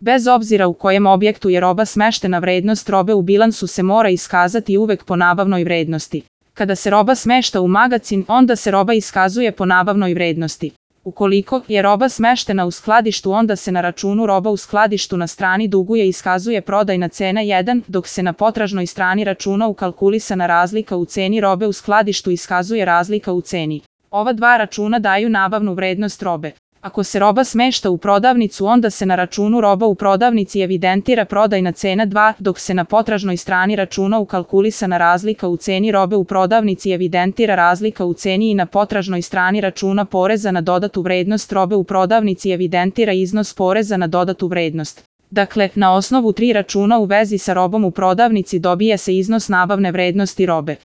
Bez obzira u kojem objektu je roba smeštena, vrednost robe u bilansu se mora iskazati uvek po nabavnoj vrednosti. Kada se roba smešta u magacin, onda se roba iskazuje po nabavnoj vrednosti. Ukoliko je roba smeštena u skladištu, onda se na računu roba u skladištu na strani duguje iskazuje prodajna cena 1, dok se na potražnoj strani računa ukalkulisana razlika u ceni robe u skladištu iskazuje razlika u ceni. Ova dva računa daju nabavnu vrednost robe. Ako se roba smešta u prodavnicu, onda se na računu roba u prodavnici evidentira prodajna cena 2, dok se na potražnoj strani računa ukalkulisana razlika u ceni robe u prodavnici evidentira razlika u ceni i na potražnoj strani računa poreza na dodatu vrednost robe u prodavnici evidentira iznos poreza na dodatu vrednost. Dakle, na osnovu 3 računa u vezi sa robom u prodavnici dobije se iznos nabavne vrednosti robe.